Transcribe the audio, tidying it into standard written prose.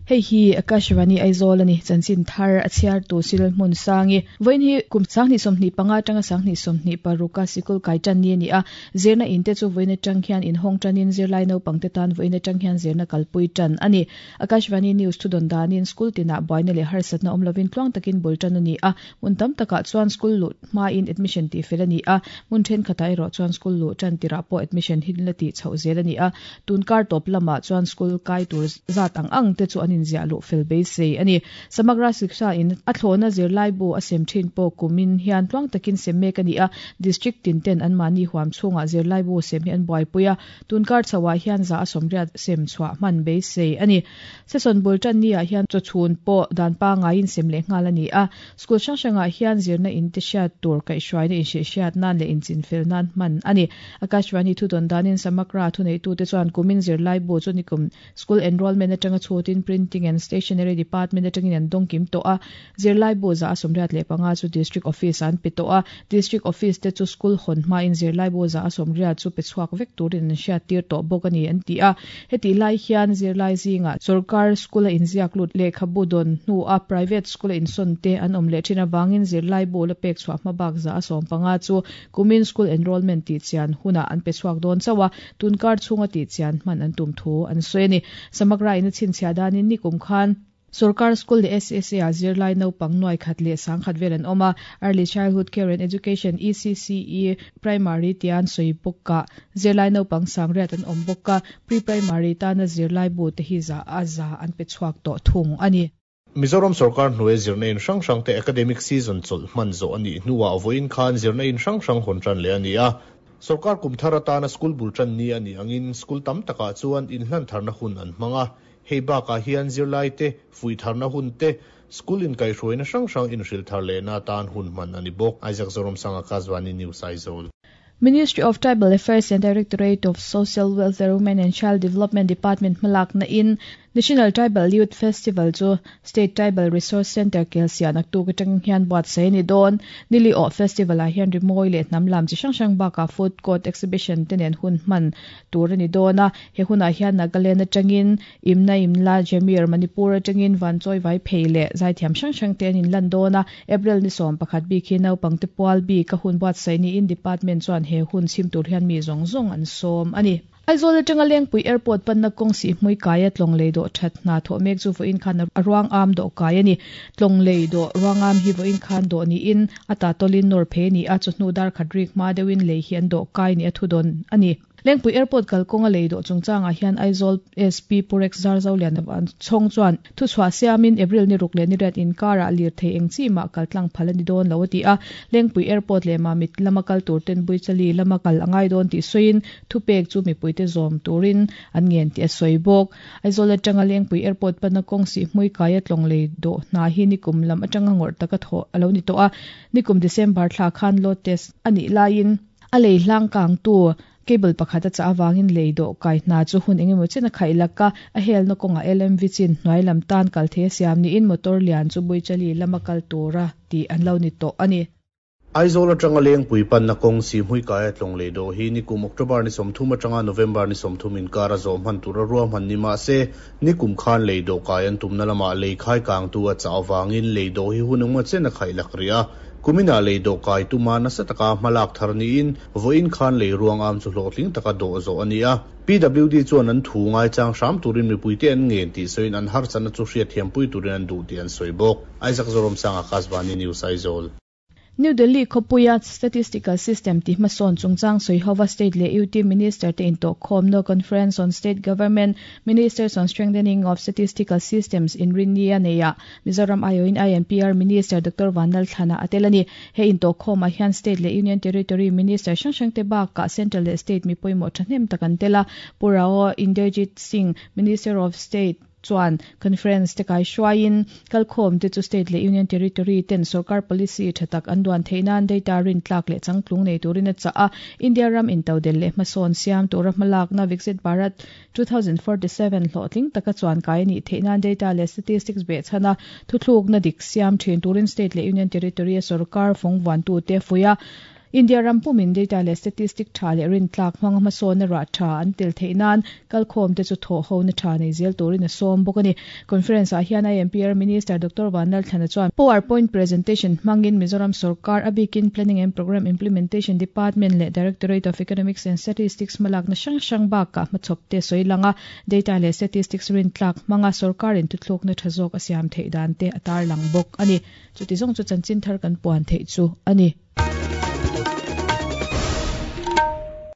Hei hi Akashvani Aizawl a ni, chanchin thar a chhiartu Cyril Hmunsangi. Vawiin hi kum 2025 atanga 2026 a sikul kai tan ni a ni a, zirna in te chu vawiin atang hian inhawng tanin zirlai naupangte tan vawiin atang hian zirna kalpui tan a ni. Akashvani News thudawn danin school tinah buaina leh harsatna awm lovin tluang takin bul tan a ni a, hmun tam takah chuan school luh hmain admission tih fel a ni a, hmun thenkhatah erawh chuan school luh tan tirah pawh admission hi la tih chhoh zel a ni a, tun kar tawp lamah chuan school kai tur zat ang ang te chu an inziah luh fel beisei a ni. Samagra Shiksha in a thlawhna zirlaibu a sem thin pawh kumin hian tluang takin sem mek a ni a, district tin ten anmahni huam chhungah zirlaibu sem hi an buaipui a, Tun kar chhoah hian za a sawmriat sem chhuah hman beisei a ni. Session bul tan ni ah hian chawchhun pawh dan pangaiin sem leh nghal a ni a. School hrang hrangah hian zirna in te hriat tur kaihhruaina inhrilhhriat nan leh inchinfel nan hman a ni. Akashvani thudawn danin Samagra thuneitute chuan kumin zirlai bu chu nikum School enrollment atanga chhutin Printing and Stationery Department atangin an dawng kim tawh a, zirlai bu za a 85 chu District Office ah an pe tawh a, District Office te chu school hawn hmain zirlai bu za a 80 chu pe chhuak vek turin an hriattir tawh bawk a ni an ti a. Hetih lai hian zirlai zingah sawrkar school a inziak lut lehkhabu dawn hnua private school a insawn te an awm leh thin avangin zirlai bu la pek chhuah hma bak za a 15 chu Kumin school enrollment tih chian hunah an pe chhuak dawn chauh a, tun kar chhunga tih chian hman an tum thu an sawi a ni. Samagra in a chhinchhiah danin nikum khan Sorkar school leh SSA ah zirlai naupang nuai khat leh sangkhat vel an awm a, Early Childhood Care and Education, ECCE, Primary tia an sawi bawk ah zirlai naupang sangriat an awm bawk a, Pre-Primary tana zirlai bu te hi za a za an pe chhuak tawh thung a ni. Mizoram sorkar hnuai zirna in hrang hrangte academic season chawlh hman zawh a nih hnuah vawiin khan zirna in hrang hrang hawn tan leh a ni a. Sorkar kum thar atana school bul tan ni a nih angin school tam takah chuan inhlan tharna hun an hmang a. Hei bakah hian zirlaite fuih tharna hun te, school inkaihhruaina hrang hrang inhrilh thar lehna atan hun hman a ni bawk. Isaac Zoramsanga, Kazvani News, Aizawl. Ministry of Tribal Affairs and Directorate of Social Welfare, Women and Child Development Department hmalakna in National Tribal Youth Festival chu State Tribal Resource Centre Kelsiah naktuk atang hian buatsaih a ni dawn. Nili awh festival ah hian rimawi leh hnam lam chi hrang hrang bakah food court exhibition te nen hun hman tur a ni dawn a. He hunah hian Nagaland atangin Imna Imla Jamir, Manipur atangin Vanchawi Vaiphei leh zaithiam hrang hrang te an inlan dawn a. April ni 11 bik hi naupangte pual bik a hun buatsaih niin Department chuan he hun chhim tur hian mi zawng zawng an sawm a ni. Aizawl atanga Lengpui Airport panna kawng sihhmui kaia tlawng lei dawh that hna thawh mek chu vawiin khan a ruang am dawh kai a ni. Tlawng lei dawh ruang am hi vawiin khan dawh niin a ta tawlin nawr phei a ni a, chawhnu dar khat rik hma deuhin lei hi an dawh kai ni a thudawn a ni. Lengpui Airport kalkawnga lei dawh chungchangah hian Aizawl SP Pu Rex Zarzolian Chhawng chuan thuchhuah siamin April ni ruk leh ni riat inkarah lirthei eng chi mah kal tlang phal a ni dawn lo a ti a. Lengpui Airport leh Mamit lama kal tur ten Buichali lama kal a ngai dawn tih sawiin thupek chu mipuite zawm turin an ngen tih a sawi bawk. Aizawl atanga Lengpui Airport pana kawng sihhmui kaia tlawng lei dawh hna hi nikum lam atanga ngawrh taka thawh a lo ni tawh a. Nikum December thla khan load test a nih laiin, A lei hlang kangtu cable pakhat a chah avangin lei dawh kai hna chu hun engemaw chen a khaih lak a, a helna kawngah LMV chin hnuai lam tan kal thei a siam niin motor lian chu Buichali lama kal tura tih an lo ni tawh a ni. Aizawl atanga Lengpui panna kawng Sihhmui kaia tlawng lei dawh hi nikum October ni 30 atanga November ni 30 inkar a zawh hman tura ruahman ni mah se, nikum khan lei dawh kai an tumna lamah lei khai kangtu a chah avangin lei dawh hi hun engemaw chen a khaih lak rih a. Kuminah lei dawh kai tuma nasa taka hmalak thar niin vawiin khan lei ruang am chu hlawhtling taka dawh zawh a ni a. PWD chuan an thu ngaichang hram turin mipuite an ngen tih sawiin an harsatna chu hriatthiampui turin an duh tih an sawi bawk. Isaac Zoramsanga, Kasvani News, Aizawl. New Delhi khawpuia Statistical System tih hmasawn chungchang sawi hova State leh UT Minister te intawhkhawmna Conference on State Government Ministers on Strengthening of Statistical Systems inrinni a neihah Mizoram aiawhin INPR Minister Doctor Vanlalthlana a tel a ni. He intawhkhawmah hian State leh Union Territory Minister hrang hrangte bakah Central leh State mi pawimawh thahnem tak an tel a. Pu Rao Inderjit Singh, Minister of State chuan Conference te kaihruaiin kalkhawm te chu State leh Union Territory ten sorkar policy tha tak an duan theih nan data rintlak leh changtlung nei turin a chah a. India ram intodelh leh hmasawn siam tura hmalakna Viksit Bharat 2047 hlawhtling taka chuan kai a nih theih nan data leh statistics behchhan a thuthlukna dik siam thin turin state leh union territory a sorkar fawng vuantute fuih a. India ram pumin data leh statistic tha leh rintlak hmanga hmasawnna rah tha an tel theih nan kalkhawmte chu thawhhona tha nei zel turin a sawm bawk a ni. Conference ah hian IMPR Minister Doctor Vanlalthlana chuan PowerPoint presentation hmangin Mizoram sorkar a bikin Planning and Programme Implementation Department leh Directorate of Economics and Statistics hmalakna hrang hrang bakah hmachhawpte sawi lang a, data leh statistics rintlak hmanga sorkarin thuthlukna tha zawk a siam theih dan te a tarlang bawk a ni. Chuti zawng chu chanchin thar kan puan theih chu a ni.